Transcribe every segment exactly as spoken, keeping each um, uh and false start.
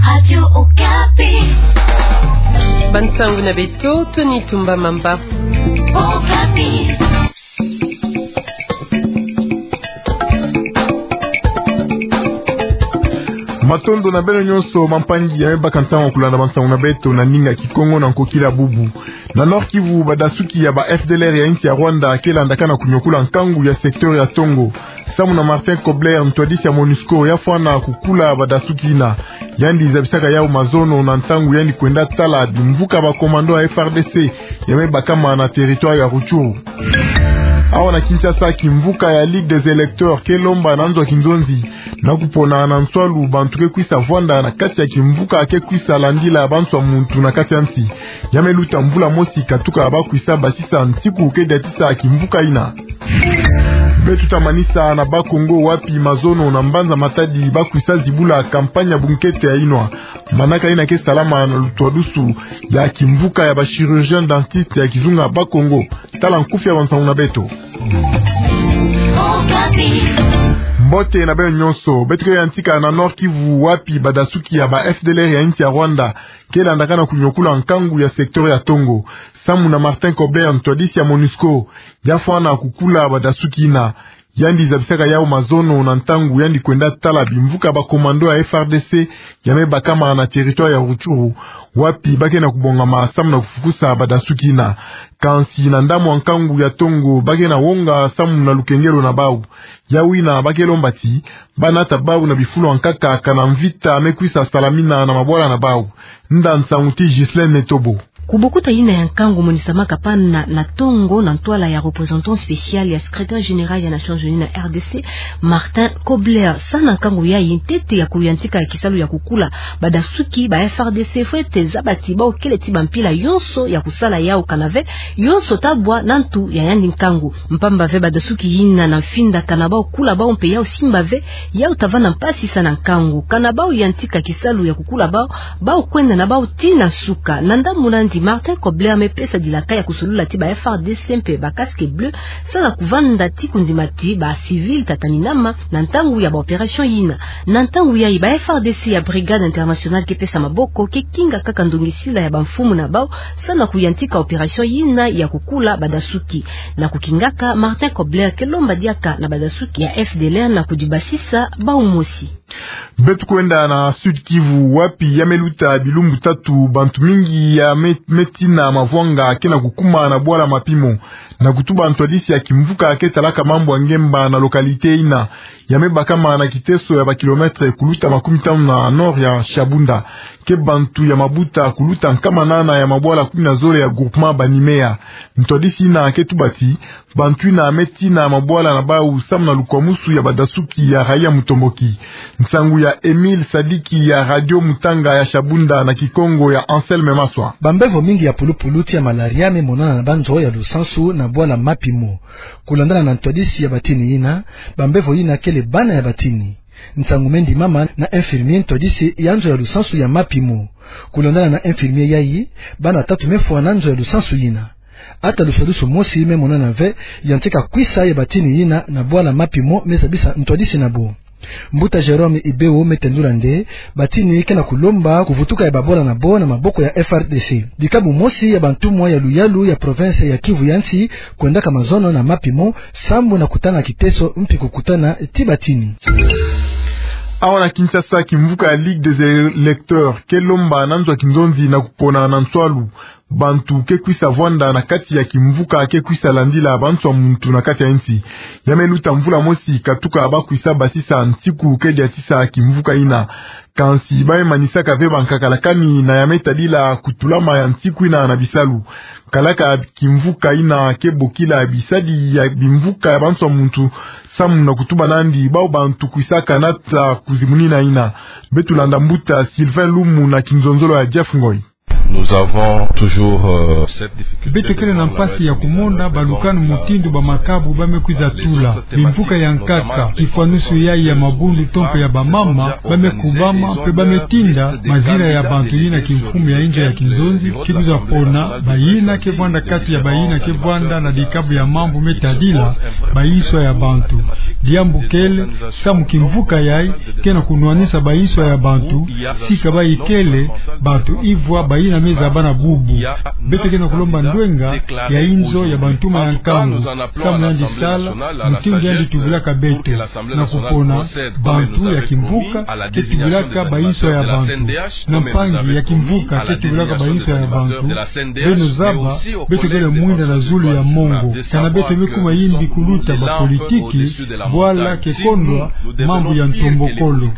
Radio Okapi. Bansangu na beto, Tony Tumba Mamba. Okapi. Matondo na beno nyonso bampangi ya me baka ntangu ya kulanda bansangu na beto na ndinga Kikongo na nkokila bubu. Na Nord-Kivu, badasuki ya ba F D L R ya insi ya Rwanda ke landaka na kunyokula nkangu ya secteur ya Tongo. Samu na Martin Kobler, ntwadisi ya MONUSCO, ya fwana kukula badasuki yina. Yandi zabisaka yau mazono na ntangu yandi kwenda tala bimvuka ba commando ya F R D C ya me bakama na territoire ya Rutshuru. Awa na Kinshasa, kimvuka ya Ligue des électeurs ke lomba na nzo ya kinzonzi na kupona na nswalu bantu ke kwisa vwanda na kati ya kimvuka ke kwisa landila banswa muntu na kati ya nsi. Ya me luta mvula mosi katuka ba kwisa basisa ntiku ke diatisa kimvuka yina. Beto ta manisa na Bas-Congo, wapi mazono na mbanza Matadi ba kwisa zibula campagne ya bunkete ya inwa. Manaka yina ke salama na lutwadusu ya kimvuka ya ba chirurgien dentiste ya kizunga Bas-Congo. Tala nkufi ya bansangu na beto. Mbote na beno nyonso. Beto ke yantika na Nord-Kivu, wapi badasuki ya ba F D L R ya insi ya Rwanda ke landaka na kunyokula nkangu ya secteur ya Tongo. Samu na Martin Kobler, ntwadisi ya MONUSCO, ya fwana kukula badasuki yina. Yandi zabisaka yau mazono na ntangu yandi kwenda tala bimvuka ba commando ya F R D C ya me bakama na territoire ya Rutshuru, wapi ba ke na kubongama samu na kufukusa badasuki yina. Kansi na ndambu ya nkangu ya Tongo, ba ke na wonga samu na lukengelo na bau. Yau yina ba ke lomba ti ba nata bau na bifulu ya nkaka, kana mvita me kwisa salamina na mabwala na bau. Nda nsangu ti Ghislaine Netobo. Ku bukuta yina ya nkangu monisamaka pana na Tongo na ntwala ya représentant spécial ya secrétaire général ya Nations Unies na R D C, Martin Kobler, sa na nkangu yayi, ntete ya kuyantika kisalu ya kukula badasuki ba F R D C fwete zaba ti bau kele ti bampila yonso ya kusala yau, kana ve yonso ta bwa na ntu ya yandi nkangu. Mpamba ve badasuki yina na mfinda kana bau kula bau mpe yau simba ve yau ta vanda mpasi sa na nkangu. Kana bau yantika kisalu ya kukula bau, bau kwenda na bau tii na nsuka. Na ndambu nandi, Martin Kobler me pesa dilaka ya kusolula ti ba F R D C mpe ba casque bleu sa na kuvanda ti kundima ti ba civil ta tani nama na ntangu ya ba opération yina. Na ntangu yayi, ba F R D C ya Brigade internationale ke pesa maboko, ke kinga kaka ndongisila ya bamfumu na bau sa na kuyantika opération yina ya kukula badasuki. Na kukingaka, Martin Kobler ke lomba diaka na badasuki ya F D L R na kudibasisa bau mosi. Beto kwenda na Sud-Kivu, wapi ya me luta bilumbu tatu bantu mingi ya me, me tina mavwanga ke na kukuma na bwala Mapimo. Na kutuba ntwadisi ya kimvuka ke talaka mambu ya ngemba na localité yina, ya me bakama na kiteso ya ba kilomètre kuluta makumi tanu na nord ya Shabunda, ke bantu ya mabuta kuluta nkama nana ya mabwala kumi na zole ya groupement Banimea. Ntwadisi yina ke tuba ti bantu yina me tina mabwala na bau samu na lukwamusu ya badasuki ya raia mutomboki. Nsangu ya Emile Sadiki ya Radio Mutanga ya Shabunda na Kikongo ya Anselme Maswa. Bambevo mingi ya pulupulu ti ya malaria me monana na banzo ya lusansu na bwala Mapimo. Kulandana na ntwadisi ya batini yina, bambevo yina kele bana ya batini. Nsangu me ndimama na infirmier ntwadisi ya nzo ya lusansu ya Mapimo. Kulandana na infirmier yayi, bana tatu me fwa na nzo ya lusansu yina. Ata lusadisu mosi me monana ve yantika kwisa ya batini yina na bwala Mapimo, me zabisa ntwadisi na bo. Mbuta Jérôme Ibeo me tendula nde batini ke na kulomba kuvutuka ya babwala na bo na maboko ya F R D C. Dikabu mosi ya bantumwa ya luyalu ya province ya Kivu ya nsi kwendaka mazono na Mapimo, sambu na kutanga kiteso mpi kukutana ti batini. Awa na Kinshasa, kimvuka ya Ligue des électeurs ke lomba na nzo ya kinzonzi na kupona na nswalu bantu ke kwisa vwanda na kati ya kimvuka ke kwisa landila banswa muntu na kati ya nsi. Ya me luta mvula mosi katuka ba kwisa basisa ntiku ke diatisa kimvuka yina. Kansi ba me manisaka ve bankaka lakani na ya me tadila kutulama ya ntiku yina na bisalu. Kalaka kimvuka yina ke bokila bisadi ya bimvuka ya banswa muntu, samu na kutuba nandi bau bantu kwisaka nata kuzimunina yina. Beto landa mbuta Sylvain Lumu na kinzonzolo ya Jeff Ngoy. Nous avons toujours, euh, cette difficulté. Beto kele na mpasi ya kumona balukanu mutindu bamakabu ba me kwiza tula. Bimvuka ya nkaka, kifwanusu yayi ya mabundu to mpe ya bamama, ba me kubama, mpe ba me tinda, mazinga ya bantu yina kimfumu ya inzo ya kinzonzi, ke kwiza pona, bayina ke vwanda kati ya bayina ke vwanda na dikabu ya mambu me tadila, bayinswa ya bantu. Diambu kele, samu kimvuka yayi, ke na kunwanisa bayinswa ya bantu, sika bayi kele, bantu ivwa bayina me zaba na bubu. Beto ke na kulomba ndwenga ya inzo ya bantuma ya nkangu, samu yandi sala, mutindu yandi tubilaka beto, na kupona, bantu ya kimvuka, ke tubilaka bayinswa ya bantu. Na mpangi ya kimvuka ke tubilaka bayinswa ya bantu. Beno zaba, beto kele mwinda na zulu ya mongo. Kana beto me kuma yimbi kuluta bapolitiki, bwala ke kondwa mambu ya ntombokolo.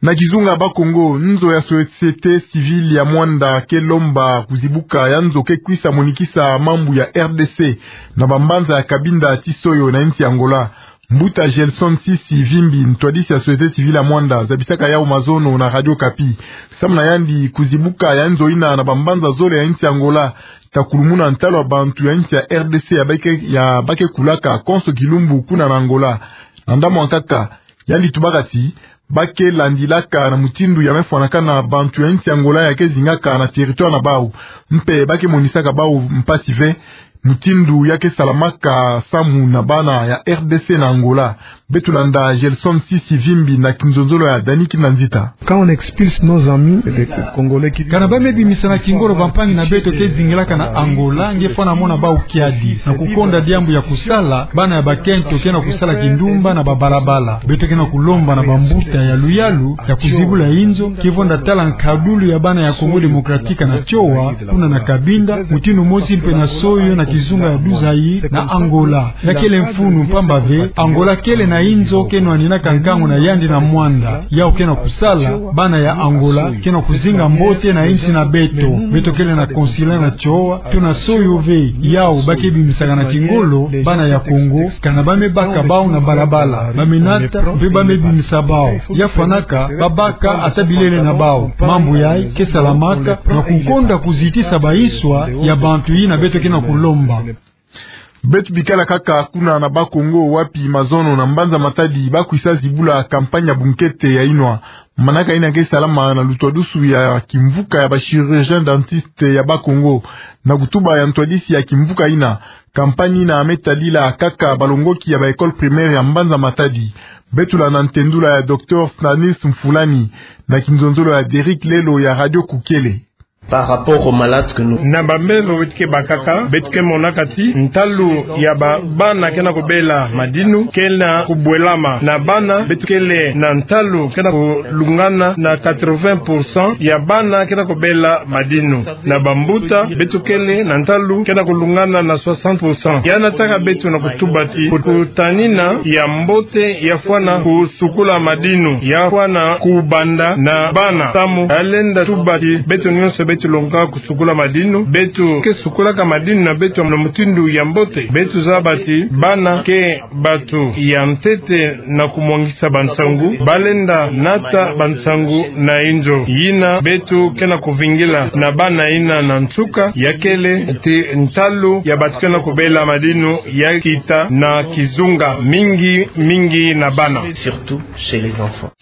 Na kizunga Bas-Congo, nzo ya société civile ya Muanda ke lomba kuzibuka ya nzo ke kwisa monikisa mambu ya R D C na bambanza ya Cabinda ti Soyo na insi Angola. Mbuta Gelson Sisi Vimbi, ntwadisi ya société civile ya Muanda, zabisaka yawu mazono na Radio Okapi. Samu na yandi, kuzibuka ya nzo yina na bambanza zole ya insi Angola, ta kulumuna ntalu ya bantu ya insi ya R D C ya ba ke, ya ba ke kulaka konso kilumbu kuna na Angola. Na ndambu ya nkaka, yandi tubaka ti, ba ke landilaka na mutindu ya me fwanakana bantu ya insi Angola ya ke zingaka na territoire na bawu. Mpe ba ke monisaka bawu mpasi ve, mutindu ya ke salamaka samu na bana ya R D C na Angola. Beto landa Gelson Sisi Vimbi na kinzonzolo ya Dani Kinanzita. Quand on expulse nos amis, les Congolais qui... Kana ba me bimisana kingolo bampangi na beto ke zingilaka na Angola, nge fwana mona bawu kiadi, na kukonda diambu ya kusala, bana ya bakento ke na kusala kindumba na babalabala. Beto ke na kulomba na bambuta ya luyalu, ya kuzibula inzo, ke vwanda tala nkadulu ya bana ya Congo Démocratique na Tioa, kuna na Cabinda, mutindu mosi mpe na Soyo na kizunga ya Duzaï, na Angola. Ya kele mfunu mpamba ve, Angola kele na inzo ke nwaninaka nkangu na yandi na Muanda. Yawu ke na kusala, bana ya Angola, ke na kuzinga mbote na insi na beto. Beto kele na consulat na Tioa, to na Soyo ve, yawu ba ke bimisaka na kingolo, bana ya Congo, kana ba me baka bawu na balabala, ba me nata, mpe ba me bimisa bawu. Ya fwanaka, ba baka ata bilele na bawu. Mambu yayi, ke salamaka, na kukonda kuzitisa bayinswa ya bantu yina beto ke na kulomba. Beto bikala kaka kuna na Bas-Congo wapi mazono na mbanza Matadi ba kwisa zibula campagne ya bunkete ya inwa. Manaka yina ke salama na lutwadusu ya kimvuka ya ba chirurgien dentiste ya Bas-Congo. Na kutuba ya ntwadisi ya kimvuka yina, campagne yina me tadila kaka balongoki ya ba école primaire ya mbanza Matadi. Beto landa ntendula ya docteur Stanis Mfulani, na kinzonzolo ya Derrick Lelo ya Radio Kukele. Par rapport aux malades que nous... Na bambevo beto ke bakaka, beto ke monaka ti ntalu ya ba, bana ke na kubela madinu, ke na kubwelama. Na bana, beto kele na ntalu ke na kulungana na quatre-vingts pour cent ya bana ke na kubela madinu. Na bambuta, beto kele na ntalu ke na kulungana na soixante pour cent. Yana taka beto na kutuba ti, kutanina ya mbote ya fwana kusukula madinu, ya fwana kubanda na bana. Samu, ya lenda tuba ti, beto nyonso beto longoka kusukula madinu, beto ke sukulaka madinu na beto na mutindu ya mbote. Beto zaba ti, bana ke bato ya ntete na kumwangisa bansangu, ba lenda nata bansangu na inzo. Yina beto ke na kuvingila na bana yina na nsuka, ya kele ti ntalu ya bato ke na kubela madinu ya kita na kizunga, mingi, mingi na bana. Surtout chez les enfants.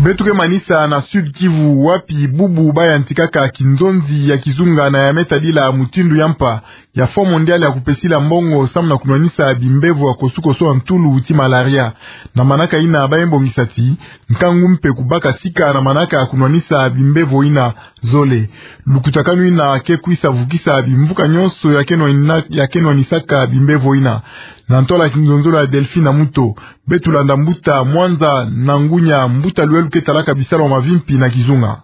Beto ke manisa na Sud-Kivu wapi bubu ba yantikaka kinzonzi ya kizunga na ya me tadila mutindu ya mpa ya Fonds Mondial ya kupesila mbongo samu na kunwanisa bimbevo ya kosukosu ya ntulu ti malaria. Na manaka yina ba ye bongisa ti, nkangu mpe kubaka sika na manaka ya kunwanisa bimbevo yina zole. Lukutakanu yina ke kwisa vukisa bimvuka nyonso ya ke nwanina-, ya ke nwanisaka bimbevo yina. Na ntwala kinzonzolo ya Delphine Amuto, beto landa mbuta Mwanza Nangunya, mbuta luwelu ke talaka bisalu ya mavimpi na kizunga.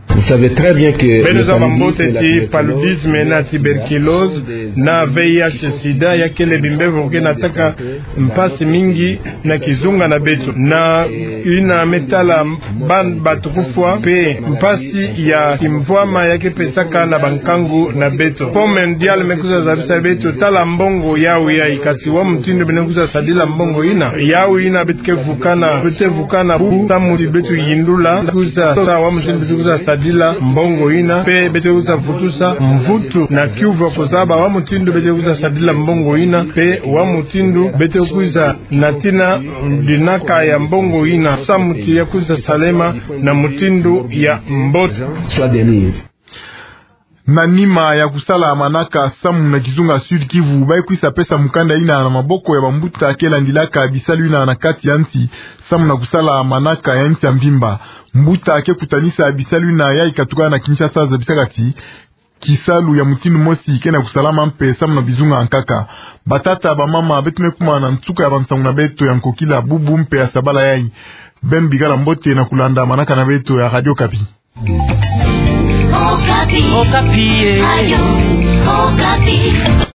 Vous savez très bien que... Beno zaba mbote ti paludisme na tuberculose na V I H sida ya kele bimbevo ke nataka mpasi mingi na kizunga na beto. Na yina me tala ba, bato kufwa, mpe mpasi ya kimvwama ya ke pesaka na bankangu na beto. Fonds Mondial me kwiza zabisa beto tala mbongo yawu yayi, kasi wa mutindu beno kwiza sadila mbongo yina. Yawu yina beto ke vukana, beto ke vukana bu samu ti beto yindula, kwiza sa wa mutindu beto kwiza sadila. sadila mbongo ina, mpe beto kwiza vutusa mvutu na kiuvu ya kozaba wa mutindu beto kwiza sadila mbongo ina, mpe wa mutindu beto kwiza natina dinaka ya mbongo ina, samu ti ya kwiza salema na mutindu ya mbote. Na nima ya kusala manaka samu na kizunga Sud-Kivu, bayi kwiza pesa mukanda ina na maboko ya bambuta ke landilaka bisalu ina na kati ya nsi, samu na kusala manaka ya nsi ya mvimba. Mbuta ke kutanisa bisalu ina yayi katuka na Kinshasa zabisaka ti kisalu ya mutindu mosi ke na kusalama mpe samu na bizunga nkaka. Batata, bamama, beto me kuma na nsuka ya bansangu na beto ya nkokila bubu mpe ya sabala yayi. Beno bikala mbote na kulanda manaka na beto ya Radio Okapi. Okapi. Okapi, eh. Radio Okapi.